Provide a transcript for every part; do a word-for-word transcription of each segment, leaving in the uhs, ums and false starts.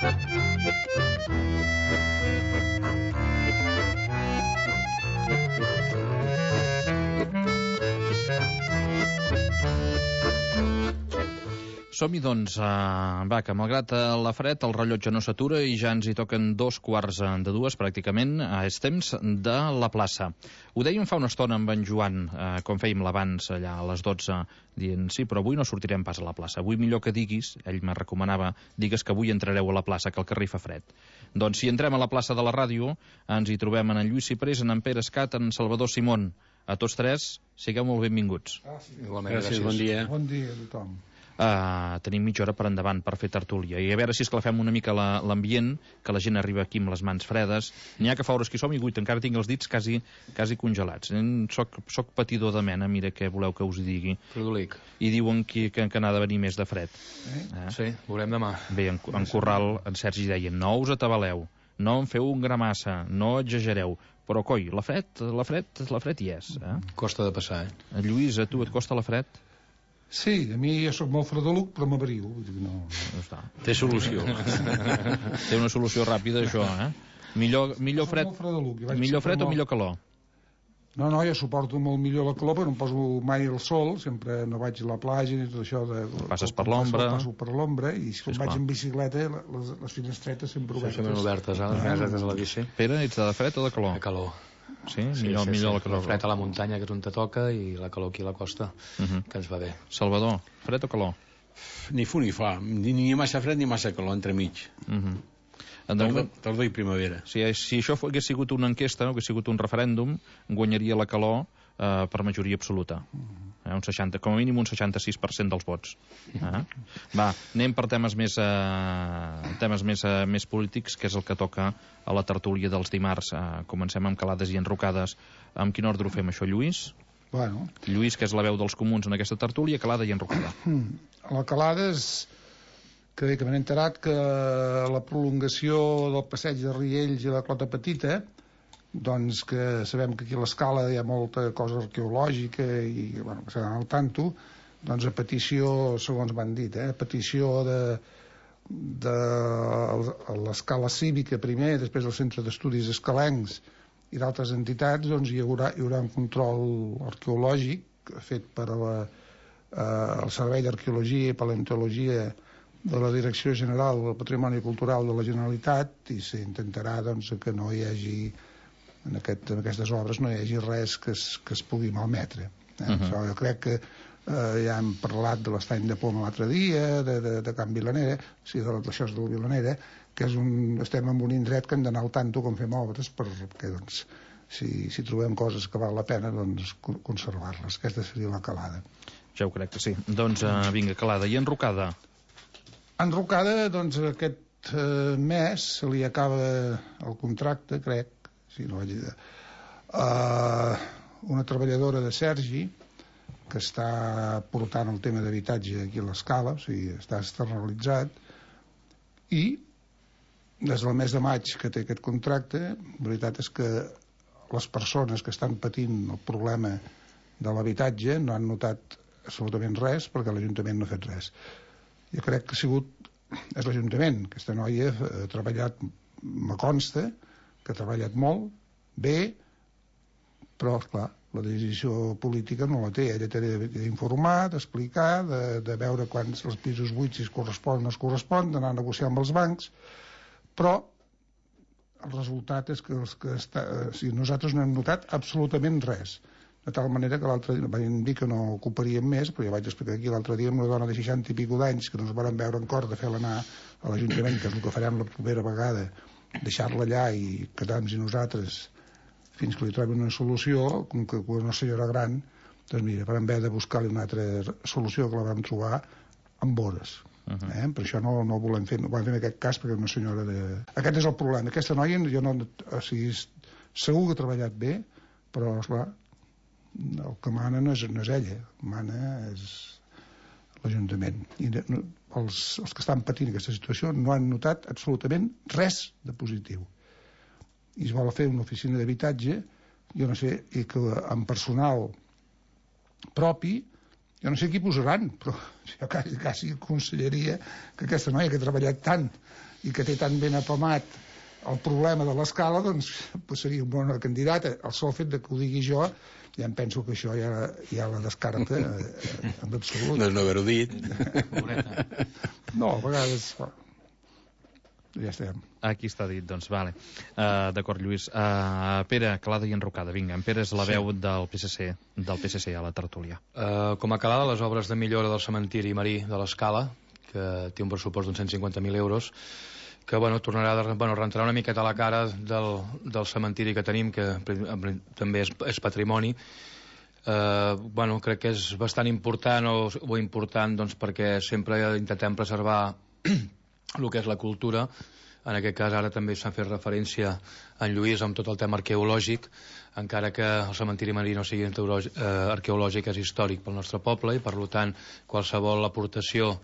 Som-hi, doncs, uh, va, que malgrat la fred, el rellotge no s'atura i ja ens hi toquen dos quarts de dues, pràcticament. Uh, és temps de la plaça. Ho dèiem fa una estona amb en Joan, uh, com fèiem l'abans allà a les dotze, dient, sí, però avui no sortirem pas a la plaça. Avui millor que diguis, ell me recomanava, digues que avui entrareu a la plaça, que el carrer fa fred. Doncs si entrem a la plaça de la ràdio, ens hi trobem en en Lluís Ciprés, en en Pere Escat, en Salvador Simón. A tots tres, sigueu molt benvinguts. Gràcies, Igualment, gràcies, gràcies. Bon dia. Bon dia a tothom. Uh, tenim mitja hora per endavant per fer tertúlia i a veure si esclafem una mica l'ambient, que la gent arriba aquí amb les mans fredes. N'hi ha que fa hores que hi som i guit, encara tinc els dits quasi, quasi congelats. Soc, soc patidor de mena, mira què voleu que us digui. Produlic. I diuen que, que, que n'ha de venir més de fred. Eh? Eh? Sí, veurem demà. Bé, en, en Corral, en Sergi deia, no us atabaleu, no en feu un gra massa, no exagereu, però coi, la fred, la fred, la fred hi és. Eh? Costa de passar, eh? Lluís, a tu et costa la fred? Sí, a mi jo soc molt fredeluc, però m'abriu. No... no Té solució. Té una solució ràpida, això, eh? Millor, millor fred, millor fred o millor calor? No, no, jo suporto molt millor la calor, però no em poso mai al sol, sempre no vaig a la platja i tot això. De, Passes per l'ombra. Passo per l'ombra, i si sí, vaig en bicicleta, les, les finestretes sempre obertes. Sempre obertes, eh? Les finestretes de la bici. Pere, ets de fred o de calor? De calor. Sí, sí, millor, sí, millor sí. La calor. El fred a la muntanya, que és on te toca, i la calor aquí a la costa, uh -huh. que ens va bé. Salvador, fred o calor? Ni fu ni fa, ni, ni massa fred ni massa calor, entremig. Uh -huh. Tardor, tardor i primavera. Si, si això hagués sigut una enquesta, hagués sigut un referèndum, guanyaria la calor eh, per majoria absoluta. Eh, un seixanta, com a mínim un seixanta-sis per cent dels vots. Eh? Va, anem per temes més, eh, temes més, eh, més polítics, que és el que toca a la tertúlia dels dimarts. Eh, comencem amb calades i enrocades. Amb quin ordre ho fem, això, Lluís? Bueno. Lluís, que és la veu dels comuns en aquesta tertúlia, calada i enrocada. La calada és... que bé, que m'he enterat que la prolongació del passeig de Riells i la Clota Petita, doncs que sabem que aquí a l'Escala hi ha molta cosa arqueològica i, bueno, que s'ha d'anar al tanto, doncs a petició, segons m'han dit, eh, a petició de, de l'Escala Cívica primer, després del Centre d'Estudis Escalencs i d'altres entitats, doncs hi haurà, hi haurà un control arqueològic fet per la, eh, el Servei d'Arqueologia i Paleontologia de la Direcció General del Patrimoni Cultural de la Generalitat, i s'intentarà, doncs, que no hi hagi en, aquest, en aquestes obres no hi hagi res que es, que es pugui malmetre, eh? uh -huh. Jo crec que eh, ja hem parlat de l'estany de Poma l'altre dia, de, de, de Can Vilanera, o sigui, de l'això del Vilanera, que és un, estem en un indret que hem d'anar al tanto com fem obres, perquè, doncs, si, si trobem coses que val la pena, doncs conservar-les. Aquesta seria la calada. Ja ho crec que sí. Doncs uh, vinga, calada. I enrocada? Enrocada, doncs aquest eh, mes se li acaba el contracte, crec, si no vaig dir, uh, una treballadora de Sergi que està portant el tema d'habitatge aquí a l'Escala, o sigui, està externalitzat, i des del mes de maig que té aquest contracte, la veritat és que les persones que estan patint el problema de l'habitatge no han notat absolutament res, perquè l'Ajuntament no ha fet res. Jo crec que ha sigut, és l'Ajuntament, aquesta noia ha treballat, me consta que ha treballat molt bé, però esclar, la decisió política no la té, ella té d'informar, d'explicar, de, de veure quants els pisos buits si es correspon o no es correspon, d'anar a negociar amb els bancs, però el resultat és que, els que està, o sigui, nosaltres no hem notat absolutament res, de tal manera que l'altre dia van dir que no ocuparíem més, però ja vaig explicar aquí l'altre dia amb una dona de seixanta i pico d'anys que no ens van veure en cor de fer-la anar a l'Ajuntament, que és el que farem la primera vegada, deixar-la allà i quedar-nos i nosaltres fins que li trobin una solució, com que una senyora gran, doncs mira, vam haver de buscar-li una altra solució que la vam trobar amb hores. Uh -huh. eh? Per això no, no volem fer, no volem fer en aquest cas, perquè una senyora de... Aquest és el problema, aquesta noia jo no, o sigui, segur que ha treballat bé, però esclar, el que mana no és, no és ella, mana és l'Ajuntament, i no, els, els que estan patint aquesta situació no han notat absolutament res de positiu, i es vol fer una oficina d'habitatge, jo no sé, i que amb personal propi, jo no sé qui posaran, però jo quasi, quasi aconsellaria que aquesta noia que ha treballat tant i que té tan ben apamat el problema de l'escala, doncs, doncs seria un bon candidat. El sol fet de que ho digui jo, ja em penso que això ja, ja la descarta eh, en absolut. No és no haver-ho dit. No, a vegades... Ja estem. Aquí està dit, doncs, vale. Uh, D'acord, Lluís. Uh, Pere, Calada i Enrocada, vinga. En Pere és la veu sí. del P S C del P S C a la tertúlia. Uh, com a Calada, les obres de millora del cementiri marí de l'Escala, que té un pressupost d'uns cent cinquanta mil euros, que bueno, tornarà de, bueno, rentrarà una miqueta a la cara del, del cementiri que tenim, que també és, és patrimoni. Uh, bueno, crec que és bastant important o, o important doncs, perquè sempre intentem preservar el que és la cultura. En aquest cas ara també s'ha fet referència a en Lluís amb tot el tema arqueològic, encara que el cementiri marí no sigui arqueològic, és històric pel nostre poble, i per tant qualsevol aportació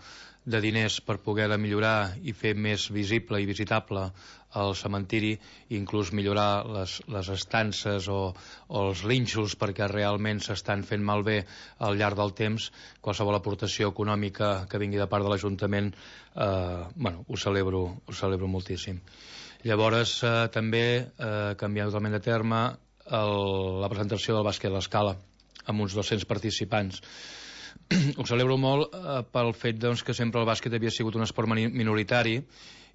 de diners per poder millorar i fer més visible i visitable el cementiri, inclús millorar les, les estances o, o els rínxols perquè realment s'estan fent malbé al llarg del temps, qualsevol aportació econòmica que vingui de part de l'Ajuntament, eh, bueno, ho celebro, ho celebro moltíssim. Llavors eh, també eh, canviant totalment de terme el, la presentació del bàsquet a l'Escala amb uns dos-cents participants. Ho celebro molt eh, pel fet doncs, que sempre el bàsquet havia sigut un esport minoritari,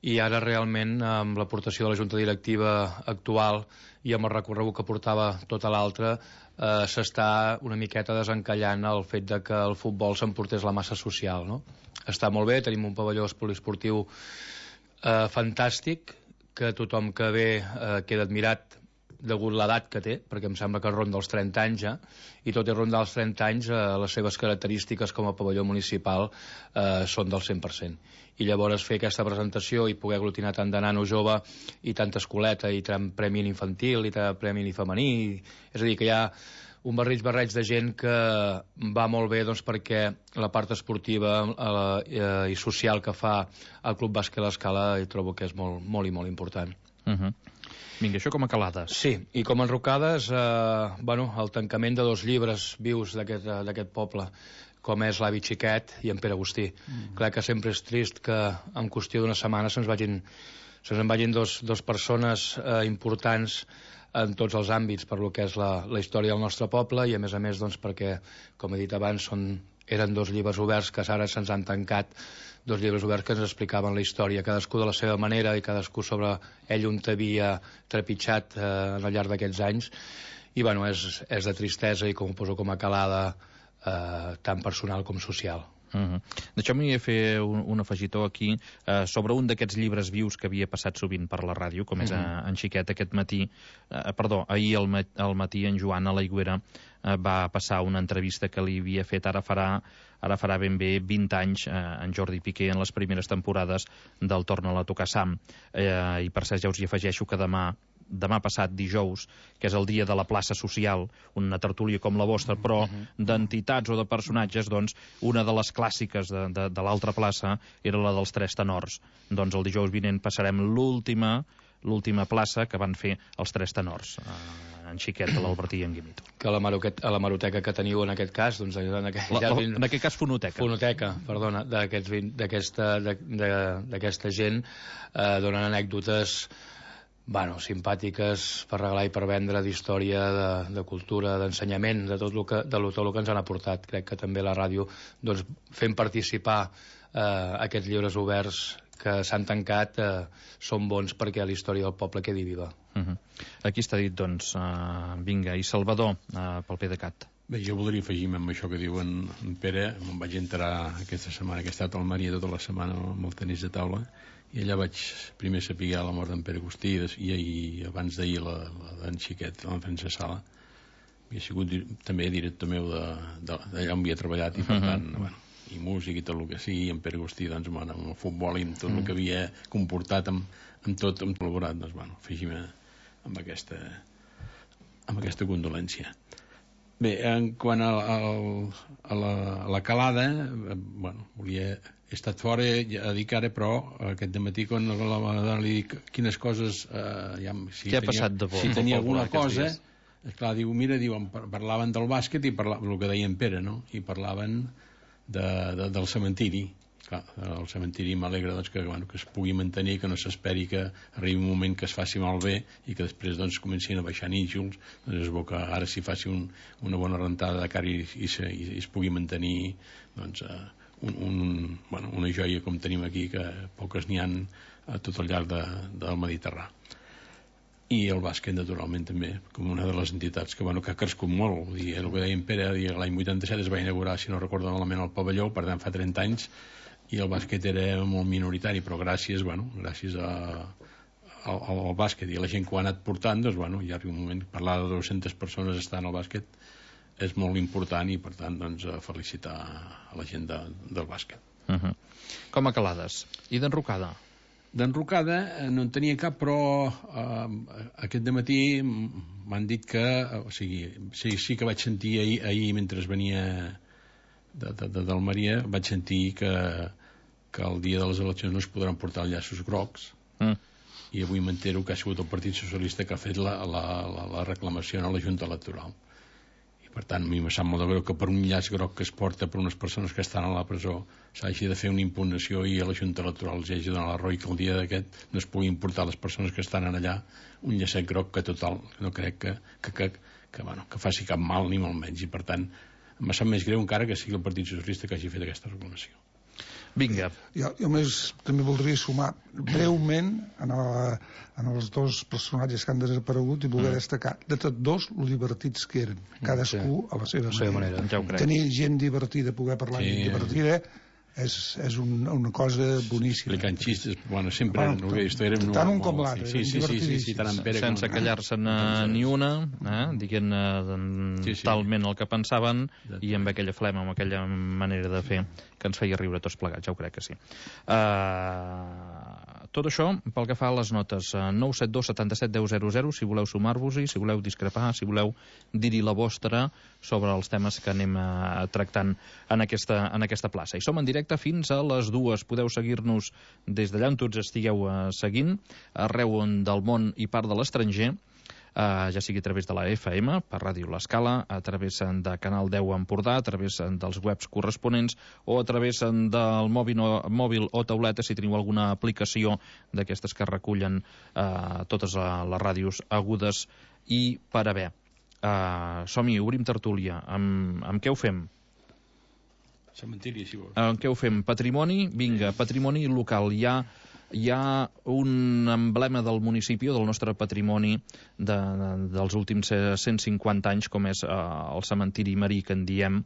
i ara realment amb l'aportació de la Junta Directiva actual i amb el recorregut que portava tota l'altra eh, s'està una miqueta desencallant el fet de que el futbol s'emportés la massa social, no? Està molt bé, tenim un pavelló poliesportiu eh, fantàstic, que tothom que ve eh, queda admirat degut l'edat que té, perquè em sembla que ronda els trenta anys ja, i tot i rondar els trenta anys eh, les seves característiques com a pavelló municipal eh, són del cent per cent. I llavors fer aquesta presentació i poder aglutinar tant de nano jove i tanta escoleta i tant premi infantil i tant premi femení, és a dir, que hi ha un barrig barreig de gent que va molt bé doncs, perquè la part esportiva eh, i social que fa el Club Bàsquet a l'Escala hi trobo que és molt, molt i molt important. Uh -huh. Vinga, això com a calades. Sí, i com a enrocades, eh, bueno, el tancament de dos llibres vius d'aquest poble, com és l'Avi Xiquet i en Pere Agustí. Mm. Clar que sempre és trist que en qüestió d'una setmana se'ns vagin, se'ns vagin dos, dos persones eh, importants en tots els àmbits per lo que és la, la història del nostre poble, i a més a més doncs, perquè, com he dit abans, són, eren dos llibres oberts que ara se'ns han tancat, dos llibres oberts que ens explicaven la història, cadascú de la seva manera i cadascú sobre ell on havia trepitjat eh, al llarg d'aquests anys, i bueno, és, és de tristesa, i com ho poso com a calada eh, tant personal com social. Uh -huh. Deixeu-me fer un, un afegitó aquí eh, sobre un d'aquests llibres vius que havia passat sovint per la ràdio, com és uh -huh. en Xiquet aquest matí, eh, perdó, ahir al, ma al matí en Joan a l'Aigüera eh, va passar una entrevista que li havia fet ara farà ara farà ben bé vint anys eh, en Jordi Piqué en les primeres temporades del Torna-la a tocar Sam, eh, i per cert ja us hi afegeixo que demà demà passat, dijous, que és el dia de la plaça social, una tertúlia com la vostra, però d'entitats o de personatges, doncs, una de les clàssiques de, de, de l'altra plaça era la dels Tres Tenors. Doncs el dijous vinent passarem l'última l'última plaça que van fer els Tres Tenors, eh, en Xiquet, l'Albertí i en Guimito. Que a la, a la maroteca que teniu en aquest cas, doncs, en, aquest, la, la, en aquest cas fonoteca. Fonoteca, perdona, d'aquesta gent, eh, donen anècdotes bueno, simpàtiques per regalar i per vendre, d'història, de, de cultura, d'ensenyament, de tot el que, de tot el que ens han aportat. Crec que també la ràdio, doncs, fent participar eh, aquests llibres oberts que s'han tancat, eh, són bons perquè la història del poble quedi viva. Uh -huh. Aquí està dit, doncs, uh, vinga, i Salvador, uh, pel PDeCAT. Bé, jo voldria afegir-me amb això que diu en, en Pere. Me'n vaig enterar aquesta setmana, que he estat al Maria tota la setmana amb el tenis de taula, i allà vaig primer saber la mort d'en Pere Agustí, i, i abans d'ahir la, la d'en Xiquet, l'en Francesc Sala. Havia sigut també director meu d'allà on havia treballat, i per tant, uh -huh. bueno, i música i tot el que sigui, i en Pere Agustí, doncs, bueno, amb el futbol i amb tot el que havia comportat, amb, amb tot, amb col·laborat, doncs, bueno, afegim-me amb aquesta, amb aquesta condolència. Bé, en quant a, a, a, la, a la calada, eh, bueno, volia... He estat fora, ja dic ara, però aquest dematí quan la dona li dic quines coses... Eh, ja, si Què ha tenia, passat de bo? Si tenia alguna cosa, esclar, diu, mira, diuen, parlaven del bàsquet i parlaven, el que deia en Pere, no? I parlaven de, de, del cementiri. clar, el cementiri m'alegra doncs, que, bueno, que es pugui mantenir, que no s'esperi que arribi un moment que es faci malbé i que després doncs, comencin a baixar nínxols. Doncs és bo que ara s'hi faci un, una bona rentada de cara i, i, se, i es pugui mantenir doncs, un, un, bueno, una joia com tenim aquí, que poques n'hi han a tot el llarg de, del Mediterrani. I el bàsquet, naturalment, també, com una de les entitats que, bueno, que ha crescut molt. Vull dir, el que deia en Pere, l'any vuitanta-set es va inaugurar, si no recordo malament, el pavelló, per tant, fa trenta anys, i el bàsquet era molt minoritari, però gràcies, bueno, gràcies a, al, al bàsquet i a la gent que ho ha anat portant, doncs, bueno, hi ha un moment, parlar de dues-centes persones estant al bàsquet és molt important i, per tant, doncs, felicitar a la gent de, del bàsquet. Uh-huh. Com a calades. I d'enrocada? D'enrocada no en tenia cap, però eh, aquest dematí m'han dit que, o sigui, sí, sí que vaig sentir ahir, ahir mentre venia de, de, de d'Almeria, vaig sentir que, que el dia de les eleccions no es podran portar llaços grocs, mm. i avui m'entero que ha sigut el Partit Socialista que ha fet la, la, la, la reclamació a la Junta Electoral. Per tant, a mi em sap molt de greu que per un llaç groc que es porta per unes persones que estan a la presó s'hagi de fer una impugnació i a la Junta Electoral els hagi de donar la raó i que el dia d'aquest no es pugui importar a les persones que estan allà un llacet groc que total no crec que, que, que, que, bueno, que faci cap mal ni molt menys, i per tant em sap més greu encara que sigui el Partit Socialista que hagi fet aquesta reclamació. Vinga. Jo, jo més també voldria sumar breument en, el, en els dos personatges que han desaparegut i voler mm. destacar de tots dos lo divertits que eren, cadascú sí. a la seva, seva manera. manera. Ja tenir gent divertida, poder parlar sí. divertida és, és un, una cosa boníssima. Explicant xistes, bueno, sempre bueno, no, esto era tant un com l'altre, sí, sí, sí, sí, sí, tant en Pere sense com... callar-se'n ni una, eh? dient eh, sí, sí. talment el que pensaven i amb aquella flema, amb aquella manera de fer que ens feia riure tots plegats, ja ho crec que sí. Uh, tot això pel que fa a les notes, uh, nou set dos setanta-set deu zero zero, si voleu sumar-vos-hi, si voleu discrepar, si voleu dir-hi la vostra sobre els temes que anem uh, tractant en aquesta, en aquesta plaça. I som en directe fins a les dues. Podeu seguir-nos des d'allà on tots estigueu uh, seguint, arreu del món i part de l'estranger, Uh, ja sigui a través de la F M, per Ràdio L'Escala, a través de Canal deu Empordà, a través dels webs corresponents o a través del mòbil o, mòbil o tauleta, si teniu alguna aplicació d'aquestes que recullen uh, totes les ràdios agudes i per haver. Uh, som-hi, obrim tertúlia. Amb, amb què ho fem? Cementiri, si vols. Amb què ho fem? Patrimoni? Vinga, patrimoni local. Hi ha hi ha un emblema del municipi, del nostre patrimoni de, de, dels últims cent cinquanta anys, com és eh, el cementiri marí que en diem,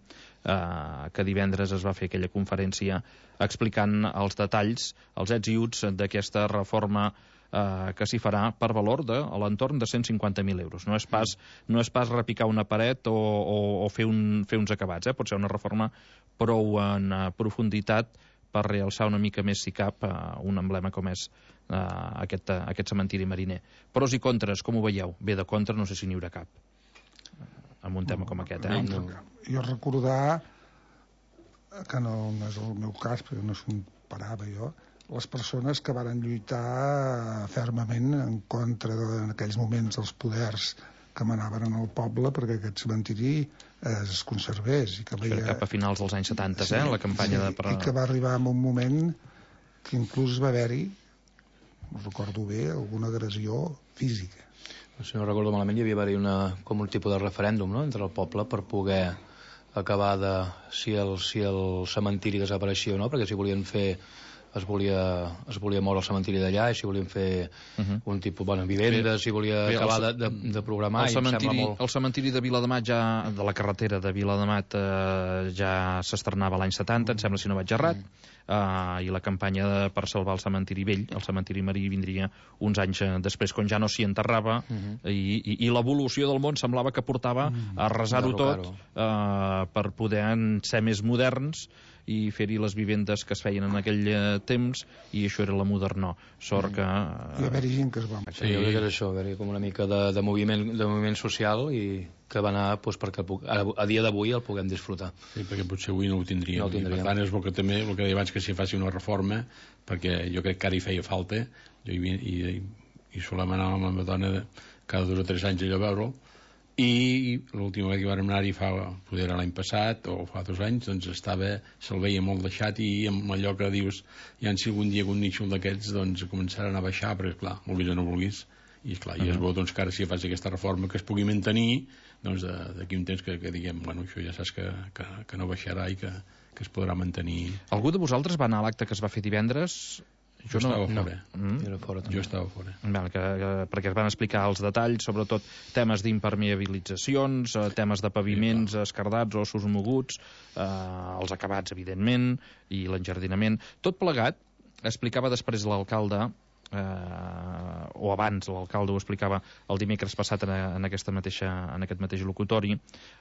eh, que divendres es va fer aquella conferència explicant els detalls, els ets i uts d'aquesta reforma eh, que s'hi farà per valor de a l'entorn de cent cinquanta mil euros. No és pas, no és pas repicar una paret o, o, o fer, un, fer uns acabats, eh? Pot ser una reforma prou en uh, profunditat per realçar una mica més, si cap, uh, un emblema com és uh, aquest, uh, aquest cementiri mariner. Pros i contres, com ho veieu? Bé, de contra no sé si n'hi haurà cap, amb un tema com aquest, eh? No, jo recordar, que no, no és el meu cas, perquè no s'ho parava jo, les persones que varen lluitar fermament en contra de, en aquells moments dels poders que manaven en el poble perquè aquest cementiri es conservés. I que veia... Cap a finals dels anys setanta, sí, eh? La campanya sí, de... I que va arribar en un moment que inclús va haver-hi, no recordo bé, alguna agressió física. Si no recordo malament, hi havia d'haver una, com un tipus de referèndum, no?, entre el poble per poder acabar de si el, si el cementiri desapareixia o no, perquè si volien fer es volia, es volia moure el cementiri d'allà i si volien fer uh -huh. un tipus, bueno, vivendes, si volia bé, acabar el, de, de, de programar el cementiri, i em sembla molt... El cementiri de Viladamat ja, de la carretera de Viladamat eh, ja s'estrenava l'any setanta, em sembla, si no vaig errat, uh, i la campanya de, per salvar el cementiri vell, el cementiri marí, vindria uns anys eh, després, quan ja no s'hi enterrava, uh -huh. i, i, i l'evolució del món semblava que portava a arrasar-ho tot eh, per poder ser més moderns i fer-hi les vivendes que es feien en aquell eh, temps, i això era la modernor. Sort que... Eh... I haver-hi gent que es va... Sí, jo crec que és això, haver-hi com una mica de, de, moviment, de moviment social i que va anar doncs, perquè a, a dia d'avui el puguem disfrutar. Sí, perquè potser avui no ho tindríem. No ho tindríem. I per tant és bo que també, el que deia abans, que s'hi faci una reforma, perquè jo crec que ara hi feia falta, jo i, i, i solem anar amb la meva dona de, cada dos o tres anys allò a veure'l, i l'última vegada que vam anar-hi fa, poder era l'any passat o fa dos anys, doncs estava, se'l veia molt deixat, i amb allò que dius, ja si algun dia un nítxol d'aquests doncs començaran a baixar, perquè clar, vulguis o no vulguis, i esclar, uh -huh. i és bo doncs que ara si fas aquesta reforma que es pugui mantenir, doncs d'aquí un temps que, que diguem, bueno, això ja saps que, que, que no baixarà i que, que es podrà mantenir. Algú de vosaltres va anar a l'acte que es va fer divendres? Jo, jo no, estava fora. No. Mm? Jo, fora jo estava fora. Val, que, que, perquè es van explicar els detalls, sobretot temes d'impermeabilitzacions, eh, temes de paviments sí, escardats, ossos moguts, eh, els acabats, evidentment, i l'enjardinament. Tot plegat, explicava després l'alcalde, eh, o abans l'alcalde ho explicava el dimecres passat en, en, aquesta mateixa, en aquest mateix locutori,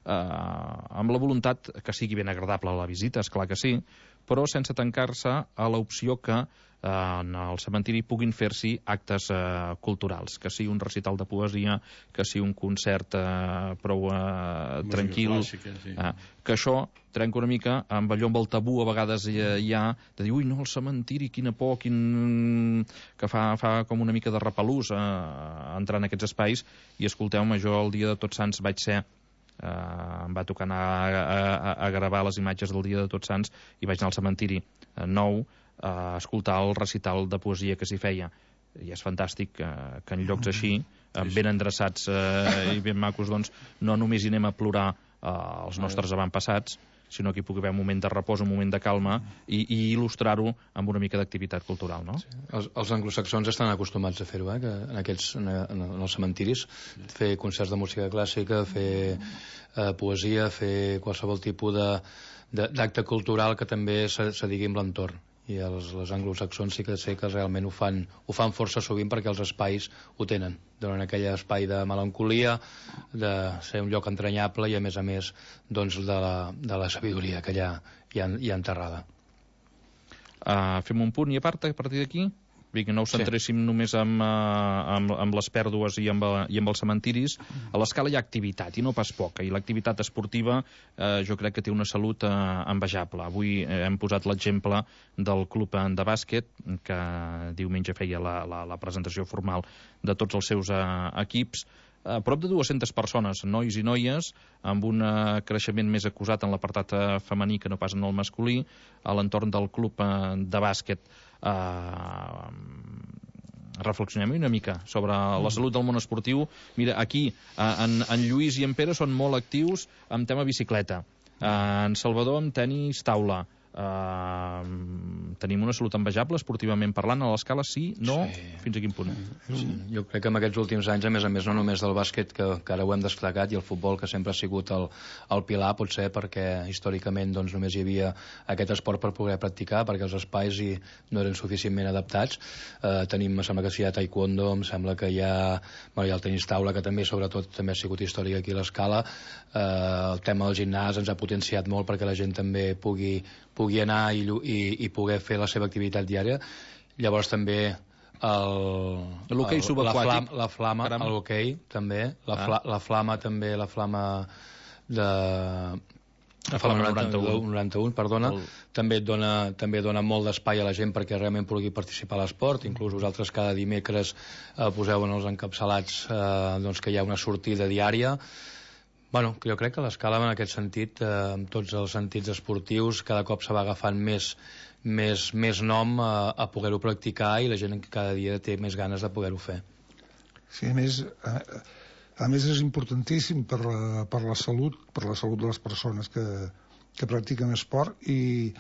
eh, amb la voluntat que sigui ben agradable la visita, és clar que sí, però sense tancar-se a l'opció que eh, en el cementiri puguin fer-s'hi actes eh, culturals, que sigui un recital de poesia, que sigui un concert eh, prou eh, tranquil, clàssica, sí. eh, que això trenca una mica amb allò, amb el tabú a vegades hi, hi ha, de dir, ui, no, el cementiri, quina por, quin... que fa, fa com una mica de repelús eh, entrar en aquests espais, i escolteu-me, jo el dia de Tots Sants vaig ser Uh, em va tocar anar a, a, a gravar les imatges del dia de Tots Sants i vaig anar al cementiri uh, nou a uh, escoltar el recital de poesia que s'hi feia, i és fantàstic uh, que en llocs així, uh, ben endreçats uh, i ben macos, doncs no només hi anem a plorar uh, els nostres avantpassats, sinó que hi pugui haver un moment de repòs, un moment de calma, i, i il·lustrar-ho amb una mica d'activitat cultural, no? Sí. Els, els anglosaxons estan acostumats a fer-ho, eh? Que en, aquests, en, en els cementiris, fer concerts de música clàssica, fer eh, poesia, fer qualsevol tipus d'acte cultural que també se, se digui amb l'entorn. I els, els anglosaxons sí que sé que realment ho fan, ho fan força sovint, perquè els espais ho tenen, donen aquell espai de melancolia, de ser un lloc entranyable, i a més a més doncs, de, la, de la sabidoria que hi ha, hi ha, hi ha enterrada. Uh, fem un punt i a part a partir d'aquí? Que no ho centréssim sí. només amb, amb, amb les pèrdues i amb, i amb els cementiris. A l'Escala hi ha activitat, i no pas poca, i l'activitat esportiva eh, jo crec que té una salut eh, envejable. Avui eh, hem posat l'exemple del club de bàsquet, que diumenge feia la, la, la presentació formal de tots els seus eh, equips. A prop de dues-centes persones, nois i noies, amb un uh, creixement més acusat en l'apartat uh, femení que no pas en el masculí, a l'entorn del club uh, de bàsquet. Uh, reflexionem una mica sobre la salut del món esportiu. Mira, aquí, uh, en, en Lluís i en Pere són molt actius en tema bicicleta. Uh, en Salvador amb tenis taula. Uh, tenim una salut envejable esportivament parlant a l'Escala, sí, no, sí. Fins a quin punt? Sí. Jo crec que en aquests últims anys, a més a més, no només del bàsquet, que, que ara ho hem destacat, i el futbol, que sempre ha sigut el, el pilar, potser perquè històricament doncs, només hi havia aquest esport per poder practicar, perquè els espais hi no eren suficientment adaptats. Uh, tenim, em sembla que sí, hi ha taekwondo, em sembla que hi ha, bueno, hi ha el tenis taula, que també, sobretot, també ha sigut històric aquí a l'Escala. Uh, el tema del gimnàs ens ha potenciat molt perquè la gent també pugui pugui anar i, i, i poder fer la seva activitat diària. Llavors també el, l'hoquei subaquàtic, la flama, l'hoquei també, la, ah. fla, la flama també, la flama de la flama noranta-u, noranta-u, perdona, el... també et dona, també dona molt d'espai a la gent perquè realment pugui participar a l'esport. Inclús vosaltres cada dimecres eh, poseu en els encapçalats eh, doncs que hi ha una sortida diària. Bueno, jo crec que l'Escala en aquest sentit, eh, amb tots els sentits esportius, cada cop se va agafant més, més, més nom a, a poder-ho practicar, i la gent cada dia té més ganes de poder-ho fer. Sí, a més, a, a més és importantíssim per la, per la salut, per la salut de les persones que, que practiquen esport, i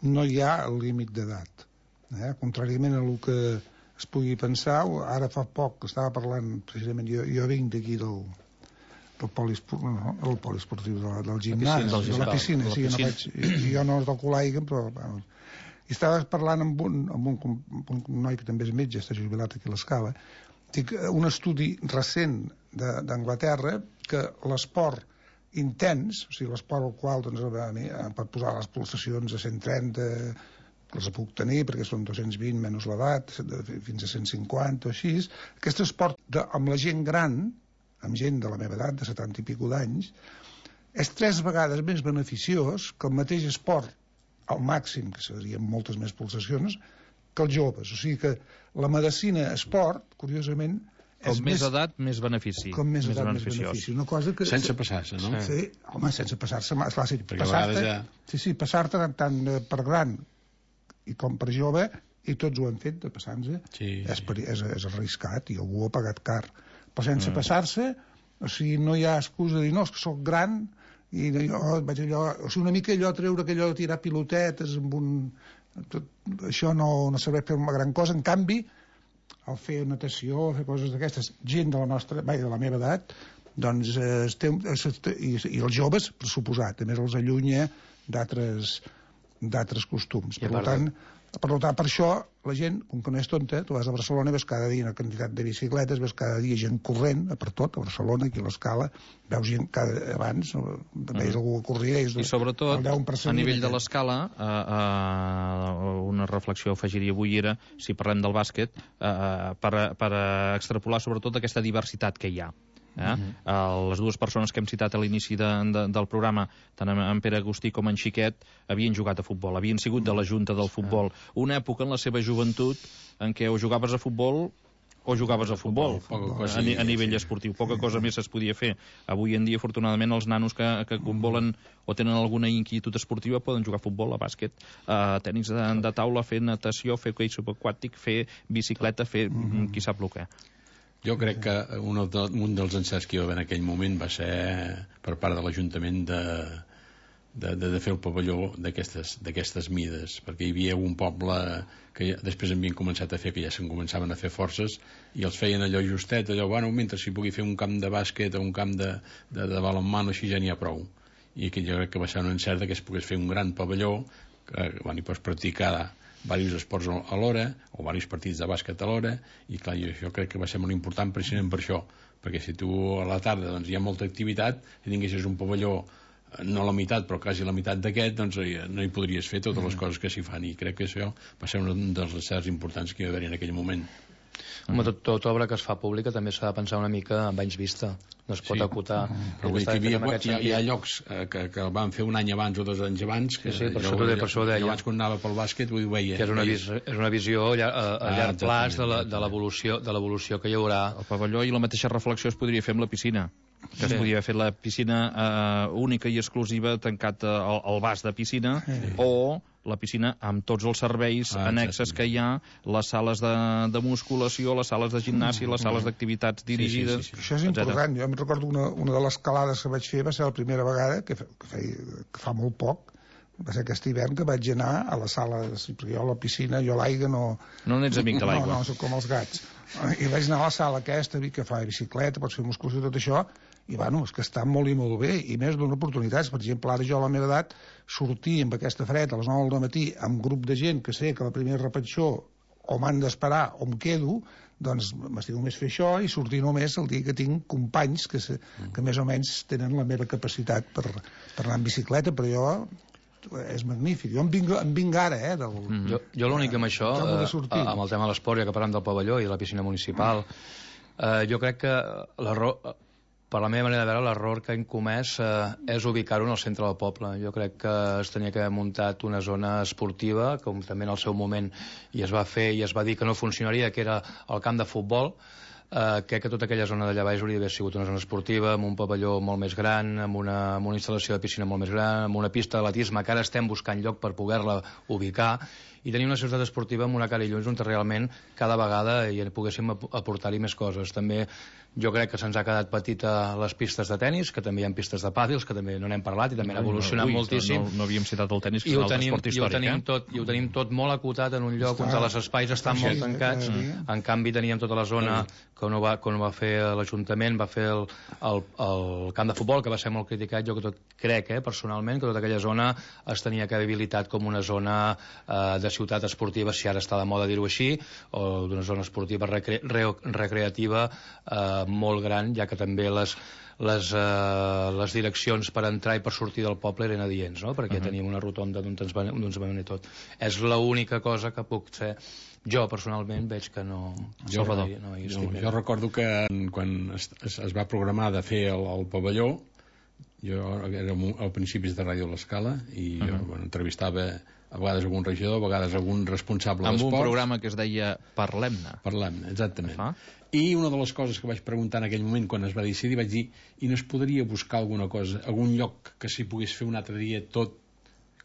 no hi ha límit d'edat. Eh? Contràriament a el que es pugui pensar, ara fa poc que estava parlant, precisament, jo, jo vinc d'aquí del del poliesportiu, no, el poliesportiu de la, del gimnàs, la de la piscina, sí, no vaig, i jo no toco l'aigua, però bueno, i estava parlant amb un, amb un, amb un noi que també és metge, està jubilat aquí a l'Escala. Dic, un estudi recent d'Anglaterra, que l'esport intens, o sigui, l'esport al qual doncs, per posar les pulsacions a cent trenta, que les puc tenir perquè són dos-cents vint menys l'edat, fins a cent cinquanta o així, aquest esport de, amb la gent gran, amb gent de la meva edat, de setanta i pico d'anys, és tres vegades més beneficiós que el mateix esport al màxim, que serien moltes més pulsacions, que els joves. O sigui que la medicina esport, curiosament, Com més edat, més benefici. Com més edat, més benefici. Una cosa que... Sense passar-se, no? Sí, home, sense passar-se. Clar, sí, perquè a vegades ja... Sí, sí, passar-te tant per gran i com per jove, i tots ho han fet, de passar-se. Sí, és, sí. és, és arriscat, i algú ho ha pagat car. Però sense mm. passar-se, o sigui, no hi ha excusa de dir, no, és que soc gran, i jo vaig allò... O sigui, una mica allò treure que allò de tirar pilotetes amb un... Tot, això no, no serveix per una gran cosa. En canvi, al fer natació, fer coses d'aquestes, gent de la nostra, vai, de la meva edat, doncs, eh, estem, i, i els joves, per suposat, a més els allunya d'altres d'altres costums. Per tant, per tant, per això, la gent, com que no és tonta, tu vas a Barcelona, ves cada dia una quantitat de bicicletes, ves cada dia gent corrent, per tot, a Barcelona, aquí a l'Escala, veus gent cada, abans, veus mm. algú que corria, és I sobretot, el deu per cent a nivell de l'Escala, eh, eh, una reflexió afegiria avui era, si parlem del bàsquet, eh, per, per extrapolar sobretot aquesta diversitat que hi ha. Eh? Uh-huh. uh, les dues persones que hem citat a l'inici de, de, del programa, tant en, en Pere Agustí com en Xiquet, havien jugat a futbol, havien sigut de la junta del futbol. Una època en la seva joventut en què o jugaves a futbol o jugaves a futbol, a, ni, a nivell esportiu. Poca cosa més es podia fer. Avui en dia, afortunadament, els nanos que, que volen o tenen alguna inquietud esportiva poden jugar a futbol, a bàsquet, a tenis de, de taula, fer natació, fer hoquei subaquàtic, fer bicicleta, fer mm-hmm. qui sap el què. Jo crec que un, un dels encerts que hi va haver en aquell moment va ser per part de l'Ajuntament de, de, de, de fer el pavelló d'aquestes mides, perquè hi havia un poble que ja, després havien començat a fer, que ja se'n començaven a fer forces, i els feien allò justet, allò, bueno, mentre s'hi pugui fer un camp de bàsquet o un camp de, de, de balonmano, així ja n'hi ha prou. I aquí jo crec que va ser un encert que es pogués fer un gran pavelló, que bueno, hi pots practicar diversos esports a l'hora, o diversos partits de bàsquet a l'hora, i clar, jo, jo crec que va ser molt important precisament per això, perquè si tu a la tarda doncs, hi ha molta activitat, si tinguessis un pavelló, no la meitat, però quasi la meitat d'aquest, doncs no hi podries fer totes les coses que s'hi fan, i crec que això va ser un dels encerts importants que hi va haver en aquell moment. Home, tot, tot obra que es fa pública també s'ha de pensar una mica amb anys vista, no es pot sí. acotar. Però vull dir que hi, havia, hi, ha, hi ha llocs eh, que, que el van fer un any abans o dos anys abans, que sí, sí, per jo, això, per això ho deia. Jo abans quan anava pel bàsquet ho veia. Que és una, vis, és una visió a, a, a ah, llarg plaç de l'evolució de l'evolució que hi haurà. El pavelló i la mateixa reflexió es podria fer amb la piscina, que sí. es podia fer la piscina eh, única i exclusiva tancat al, al vas de piscina, sí. o la piscina amb tots els serveis ah, annexes que hi ha, les sales de, de musculació, les sales de gimnàsia, les sales d'activitats dirigides... Sí, sí, sí, sí. Això és important. Jo em recordo una, una de les calades que vaig fer, va ser la primera vegada, que, que, feia, que fa molt poc, va ser aquest hivern que vaig anar a la sala, perquè jo a la piscina, jo a l'aigua no... No n'ets amic de l'aigua. No, no, soc com els gats. I vaig anar a la sala aquesta, que fa bicicleta, pots fer musculació, tot això, i bueno, és que està molt i molt bé, i més d'una oportunitat. Per exemple, ara jo a la meva edat sortir amb aquesta fred a les nou del matí amb un grup de gent que sé que la primera repetició o m'han d'esperar o em quedo, doncs m'estic només fer això i sortir només el dia que tinc companys que, se, que més o menys tenen la meva capacitat per, per anar en bicicleta, però jo és magnífic. Jo em vinc, em vinc ara, eh? Del, mm. Jo, jo l'únic amb això, eh, amb el tema de l'esport, ja que parlem del pavelló i de la piscina municipal, eh, jo crec que l'error, per la meva manera de veure, l'error que hem comès eh, és ubicar-ho en el centre del poble. Jo crec que es tenia que haver muntat una zona esportiva, com també en el seu moment i es va fer i es va dir que no funcionaria, que era el camp de futbol. Uh, crec que tota aquella zona d'allà baix hauria d'haver sigut una zona esportiva, amb un pavelló molt més gran, amb una, amb una instal·lació de piscina molt més gran, amb una pista d'atletisme que ara estem buscant lloc per poder-la ubicar, i tenir una ciutat esportiva amb una cara i llums on realment cada vegada hi poguéssim aportar-hi més coses. També jo crec que se'ns ha quedat petita les pistes de tennis, que també hi ha pistes de pàdels, que també no n'hem parlat i també han evolucionat no, ui, moltíssim. No, no havíem citat el tennis, que és un altre esport històric. I ho tenim, eh? tot, i ho tenim tot molt acotat en un lloc on els espais estan molt tancats. En canvi teníem tota la zona que no va, quan va fer l'Ajuntament, va fer el, el, el camp de futbol, que va ser molt criticat. Jo que tot crec, eh, personalment, que tota aquella zona es tenia que haver habilitat com una zona eh, de ciutat esportiva, si ara està de moda dir-ho així, o d'una zona esportiva recre re recreativa eh, molt gran, ja que també les, les, eh, les direccions per entrar i per sortir del poble eren adients, no? Perquè uh -huh. teníem una rotonda d'on ens va venir tot. És l'única cosa que puc ser. Jo, personalment, veig que no... Jo, no, no jo, jo recordo que quan es, es, es va programar de fer el, el pavelló, jo era a principis de Ràdio L'Escala i jo uh -huh. bueno, entrevistava a vegades algun regidor, a vegades algun responsable d'esports. Amb un programa que es deia Parlem-ne. Parlem-ne, exactament. Ah. I una de les coses que vaig preguntar en aquell moment quan es va decidir, vaig dir, i no es podria buscar alguna cosa, algun lloc que s'hi pogués fer un altre dia tot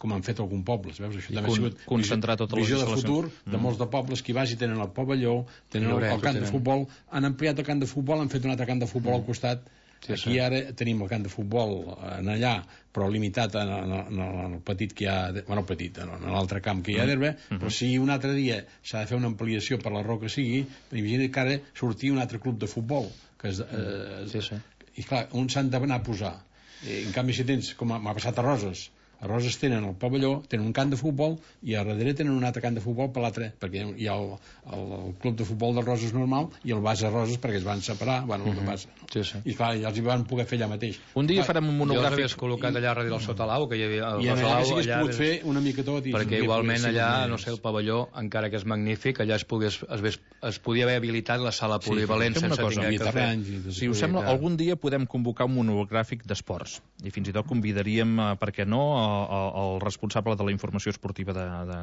com han fet alguns pobles, veus? Això I també con, ha sigut concentrar totes les visió de futur mm. de molts de pobles que hi vagi, tenen el pavelló, tenen el, el camp de futbol, han ampliat el camp de futbol, han fet un altre camp de futbol mm. al costat. Sí, aquí sí. Ara tenim el camp de futbol en allà, però limitat en, en, en, en el petit que hi ha, bueno, petit, en, en l'altre camp que hi ha d'herba, mm. però si un altre dia s'ha de fer una ampliació per la raó que sigui, imagina que ara sortia un altre club de futbol, que és, eh, sí, sí. i clar, on s'han d'anar a posar? I, en canvi, si tens, com m'ha passat a Roses, a Roses tenen el pavelló, tenen un camp de futbol i a darrere tenen un altre camp de futbol per l'altre, perquè hi ha el, el, el club de futbol de Roses normal i el base Roses perquè es van separar, bueno, el que passa. Sí, sí. I clar, ja els hi van poder fer allà mateix. Un dia clar, farem un monogràfic. Jo els havies col·locat allà darrere del Sotalau, que hi havia el I allà sí que es pogut fer una mica tot. I perquè igualment allà, no sé, el pavelló, encara que és magnífic, allà es, pogués, es, ves, es podia haver habilitat la sala polivalent sí, sense cosa, tinguer que fer. Si us sembla, algun dia podem convocar un monogràfic d'esports i fins i tot convidaríem, per què no, el responsable de la informació esportiva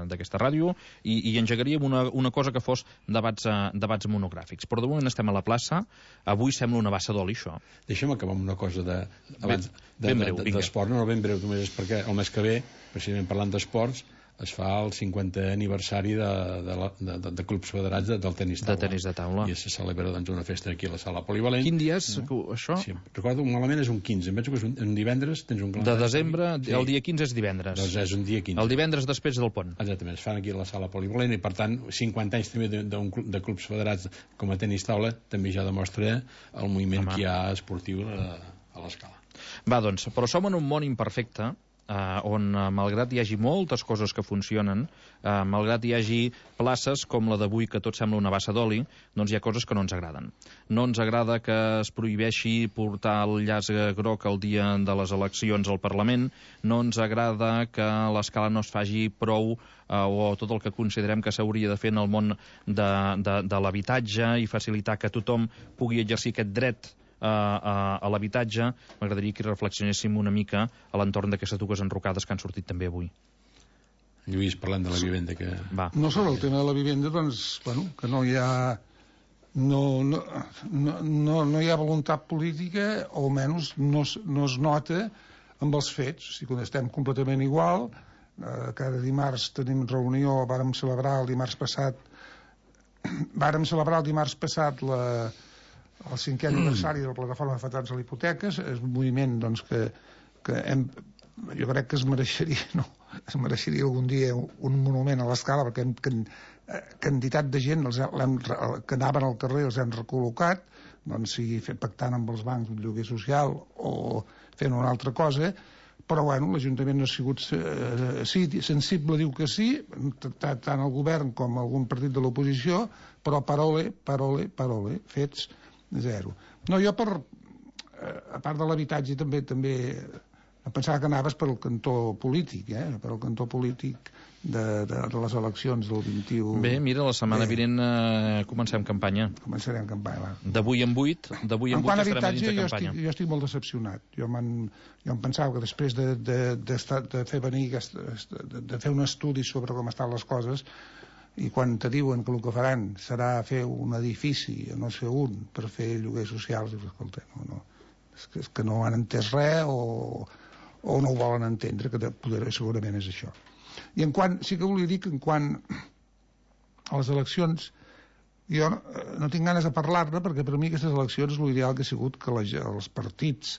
d'aquesta ràdio i, i engegaríem una, una cosa que fos debats, uh, debats monogràfics. Però de moment estem a la plaça, avui sembla una bassa d'oli, això. Deixa'm acabar amb una cosa de, abans, ben, ben breu, de, de, d'esport, no, ben breu, només és perquè el mes que ve, precisament parlant d'esports, es fa el cinquantè aniversari de, de, de, de, de clubs federats de, del tenis taula. De tenis de taula. I se celebra doncs, una festa aquí a la sala polivalent. Quin dia és no? això? Sí, recordo, malament és un quinze, em penso que és un, un divendres, tens un calendari. De desembre, sí. El dia quinze és divendres. Doncs és un dia quinze. El divendres després del pont. Exactament, es fan aquí a la sala polivalent i per tant cinquanta anys també de, de, un club, de clubs federats com a tenis taula també ja demostra el moviment Home. que hi ha esportiu a, a l'escala. Va, doncs, però som en un món imperfecte Uh, on, uh, malgrat hi hagi moltes coses que funcionen, uh, malgrat hi hagi places com la d'avui que tot sembla una bassa d'oli, doncs hi ha coses que no ens agraden. No ens agrada que es prohibeixi portar el llaç groc el dia de les eleccions al Parlament, no ens agrada que l'escala no es faci prou uh, o tot el que considerem que s'hauria de fer en el món de, de, de l'habitatge i facilitar que tothom pugui exercir aquest dret a, a, a l'habitatge. M'agradaria que reflexionéssim una mica a l'entorn d'aquestes dues enrocades que han sortit també avui. Lluís, parlant de la vivenda que... Va. No sobre el tema de la vivenda, doncs, bueno, que no hi ha no, no, no, no, no hi ha voluntat política, o almenys no, no es nota amb els fets. O sigui, quan estem completament igual, eh, cada dimarts tenim reunió, vàrem celebrar el dimarts passat vàrem celebrar el dimarts passat la el cinquè aniversari de la plataforma d'afectats a les hipoteques. És un moviment doncs, que, que hem, jo crec que es mereixeria, no, es mereixeria algun dia un monument a l'escala, perquè hem, que, quantitat de gent els hem, que anaven al carrer els hem recol·locat, doncs sigui pactant amb els bancs un lloguer social o fent una altra cosa, però bueno, l'Ajuntament no ha sigut eh, sí, sensible, diu que sí, tant el govern com algun partit de l'oposició, però parole, parole, parole, fets zero. No, jo per eh, a part de l'habitatge també també em pensava que anaves per el cantó polític, eh? per el cantó polític de, de, de les eleccions del vint-i-u. Bé, mira, la setmana Bé. vinent eh, comencem campanya. Començarem campanya, va. D'avui en vuit, d'avui en, en vuit quant a estarem habitatge, dins de jo campanya. estic, jo estic molt decepcionat. Jo, jo em pensava que després de, de, de, de fer venir, de, de fer un estudi sobre com estan les coses, i quan te diuen que el que faran serà fer un edifici, no sé un, per fer lloguers socials, dius, escolta, no, no, és, que, és que no han entès res o, o no ho volen entendre, que poder, segurament és això. I en quant, sí que volia dir que en quant a les eleccions, jo no, no tinc ganes de parlar-ne, perquè per mi aquestes eleccions l'ideal que ha sigut que les, els partits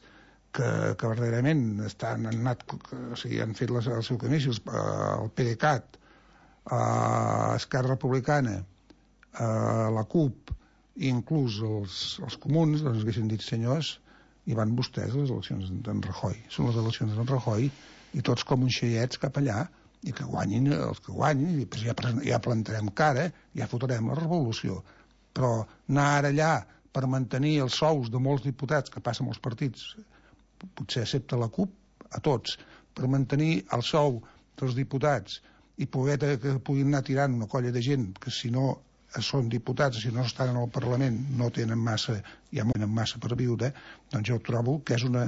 que, que verdaderament estan, han, anat, o sigui, han fet les, el seu camí, el PDeCAT, a Esquerra Republicana, a la CUP i inclús els, els comuns, doncs haguessin dit, senyors, i van vostès a les eleccions d'en Rajoy. Són les eleccions d'en Rajoy i tots com uns xeiets cap allà, i que guanyin els que guanyin, i doncs ja, ja plantarem cara, ja fotrem la revolució. Però anar ara allà per mantenir els sous de molts diputats que passen als partits, potser accepta la CUP, a tots, per mantenir el sou dels diputats i poder que puguin anar tirant una colla de gent que si no són diputats, si no estan en el Parlament no tenen massa, ja no tenen massa per viure, doncs jo trobo que és una,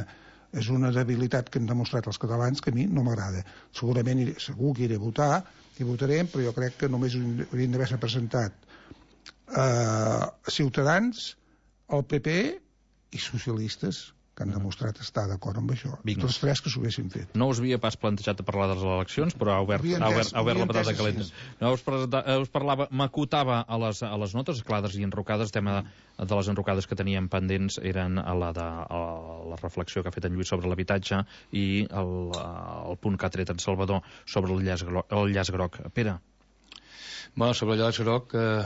és una debilitat que han demostrat els catalans que a mi no m'agrada. Segurament iré, segur que iré a votar i votarem, però jo crec que només haurien d'haver-se presentat eh, Ciutadans, el P P i socialistes, que han demostrat estar d'acord amb això. Vinga. Tots tres que s'ho haguessin fet. No us havia pas plantejat de parlar de les eleccions, però ha obert, ha obert, ha obert la patata calenta. No, us, us parlava, m'acotava a les, a les notes clares i enrocades. El tema de, de les enrocades que teníem pendents eren a la, de, a la reflexió que ha fet en Lluís sobre l'habitatge i el, el punt que ha tret en Salvador sobre el llaç groc. El llaç groc. Pere? Bueno, sobre el llaç groc... Eh,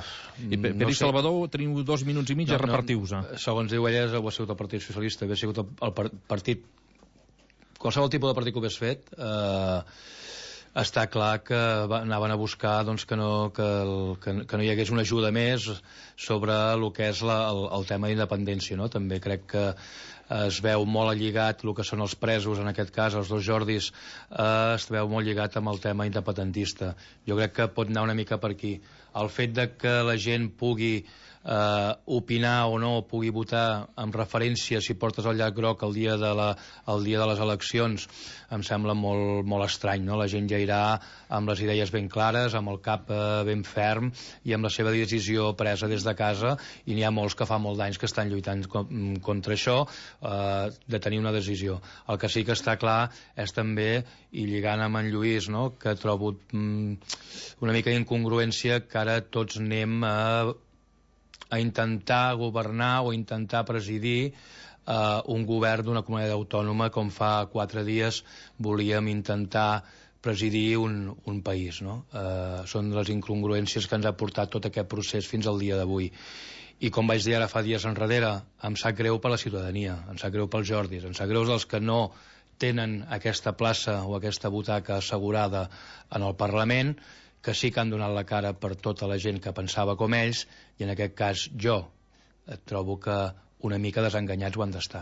I Pere no i Salvador, teniu dos minuts i mig no, a repartir-vos-ho. No, segons diu ella, ho ha sigut el Partit Socialista, havia sigut el, el partit... Qualsevol tipus de partit que ho hagués fet, eh, està clar que va, anaven a buscar doncs, que, no, que, el, que, que no hi hagués una ajuda més sobre el que és la, el, el tema d'independència, no? També crec que es veu molt lligat el que són els presos, en aquest cas els dos Jordis, eh, es veu molt lligat amb el tema independentista. Jo crec que pot anar una mica per aquí. El fet de que la gent pugui eh, opinar o no, pugui votar amb referència si portes el llaç groc el dia de, la, el dia de les eleccions, em sembla molt, molt estrany, no? La gent ja irà amb les idees ben clares, amb el cap eh, ben ferm i amb la seva decisió presa des de casa, i n'hi ha molts que fa molt d'anys que estan lluitant contra això, eh, de tenir una decisió. El que sí que està clar és també, i lligant amb en Lluís, no? Que trobo mm, una mica d'incongruència que ara tots anem a, a intentar governar o intentar presidir Uh, un govern d'una comunitat autònoma com fa quatre dies volíem intentar presidir un, un país, no? Uh, són les incongruències que ens ha portat tot aquest procés fins al dia d'avui. I com vaig dir ara fa dies enrere, em sap greu per la ciutadania, em sap greu pels Jordis, em sap greu dels que no tenen aquesta plaça o aquesta butaca assegurada en el Parlament, que sí que han donat la cara per tota la gent que pensava com ells, i en aquest cas jo trobo que una mica desenganyats ho han d'estar.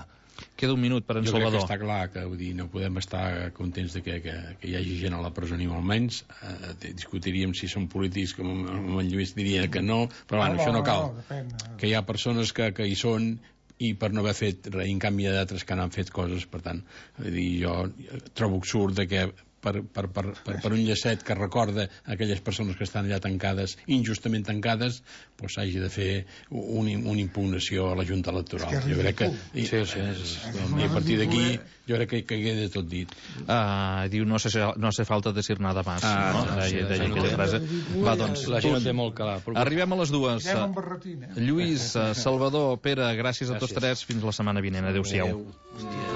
Queda un minut per en jo Salvador. Jo crec que està clar que vull dir, no podem estar contents de que, que, que hi hagi gent a la presó ni molt menys. Eh, discutiríem si són polítics, com en Lluís diria que no, però bueno, no, això no cal. No, que hi ha persones que, que hi són i per no haver fet res, en canvi hi ha d'altres que no han fet coses, per tant, vull dir, jo trobo absurd de que Per, per, per, per, per un llacet que recorda aquelles persones que estan allà tancades, injustament tancades, doncs s'hagi de fer un, una impugnació a la Junta Electoral. Jo crec que i, sí, sí, és, i a partir d'aquí jo crec que, que queda tot dit. Uh, diu, no hace, no hace falta decir nada más. Ah, no? No, sí, deia aquella frase. Va, doncs, la gent té molt clar. Arribem a les dues. Lluís, Salvador, Pere, gràcies a tots tres. Fins la setmana vinent. Adéu-siau. Adéu.